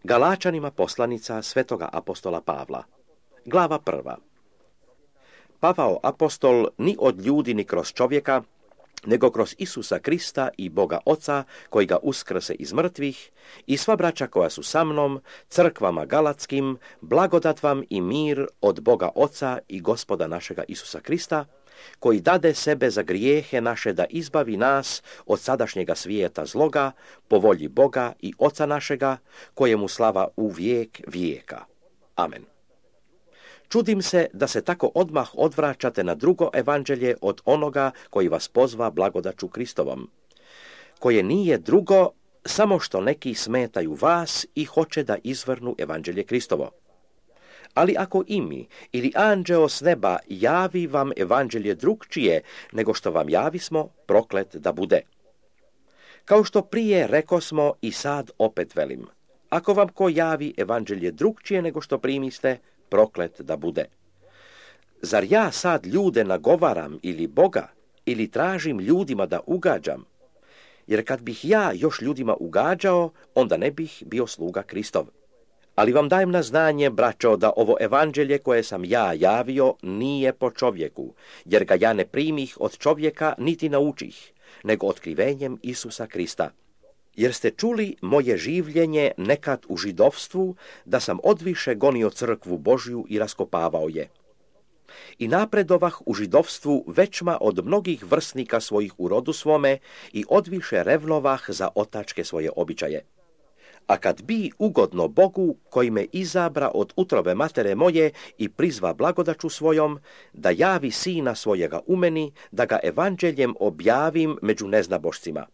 Galačanima poslanica svetoga apostola Pavla. Glava 1. Pavao apostol ni od ljudi ni kroz čovjeka, nego kroz Isusa Krista i Boga Oca, koji ga uskrse iz mrtvih, i sva braća koja su sa mnom, crkvama galatskim, blagodat vam i mir od Boga Oca i Gospoda našega Isusa Krista, koji dade sebe za grijehe naše da izbavi nas od sadašnjega svijeta zloga, po volji Boga i Oca našega, kojemu slava u vijek vijeka. Amen. Čudim se da se tako odmah odvraćate na drugo evanđelje od onoga koji vas pozva blagodaću Kristovom, koje nije drugo, samo što neki smetaju vas i hoće da izvrnu evanđelje Kristovo. Ali ako i mi ili anđeo s neba javi vam evanđelje drugčije nego što vam javismo, proklet da bude. Kao što prije rekosmo i sad opet velim, ako vam ko javi evanđelje drugčije nego što primiste, proklet da bude. Zar ja sad ljude nagovaram ili Boga, ili tražim ljudima da ugađam? Jer kad bih ja još ljudima ugađao, onda ne bih bio sluga Kristov. Ali vam dajem na znanje, braćo, da ovo evanđelje koje sam ja javio nije po čovjeku, jer ga ja ne primih od čovjeka niti naučih, nego otkrivenjem Isusa Krista. Jer ste čuli moje življenje nekad u židovstvu, da sam odviše gonio crkvu Božju i raskopavao je. I napredovah u židovstvu većma od mnogih vrsnika svojih u rodu svome i odviše revnovah za otačke svoje običaje. A kad bi ugodno Bogu, koji me izabra od utrobe matere moje i prizva blagodaću svojom, da javi sina svojega u meni, da ga evanđeljem objavim među neznabošcima.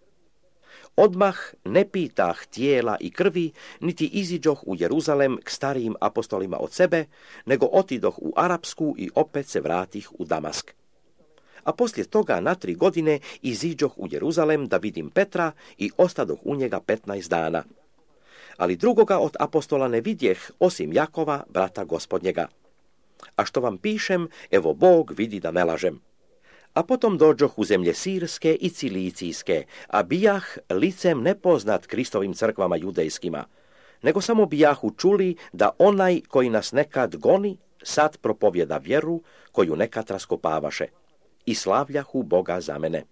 Odmah ne pitah tijela i krvi, niti iziđoh u Jeruzalem k starijim apostolima od sebe, nego otidoh u Arapsku i opet se vratih u Damask. A poslije toga na 3 godine iziđoh u Jeruzalem da vidim Petra i ostadoh u njega 15 dana. Ali drugoga od apostola ne vidjeh, osim Jakova, brata gospodnjega. A što vam pišem, evo Bog vidi da ne lažem. A potom dođoh u zemlje Sirske i Cilicijske, a bijah licem nepoznat Kristovim crkvama judejskima, nego samo bijahu čuli da onaj koji nas nekad goni, sad propovjeda vjeru koju nekad raskopavaše. I slavljahu Boga za mene.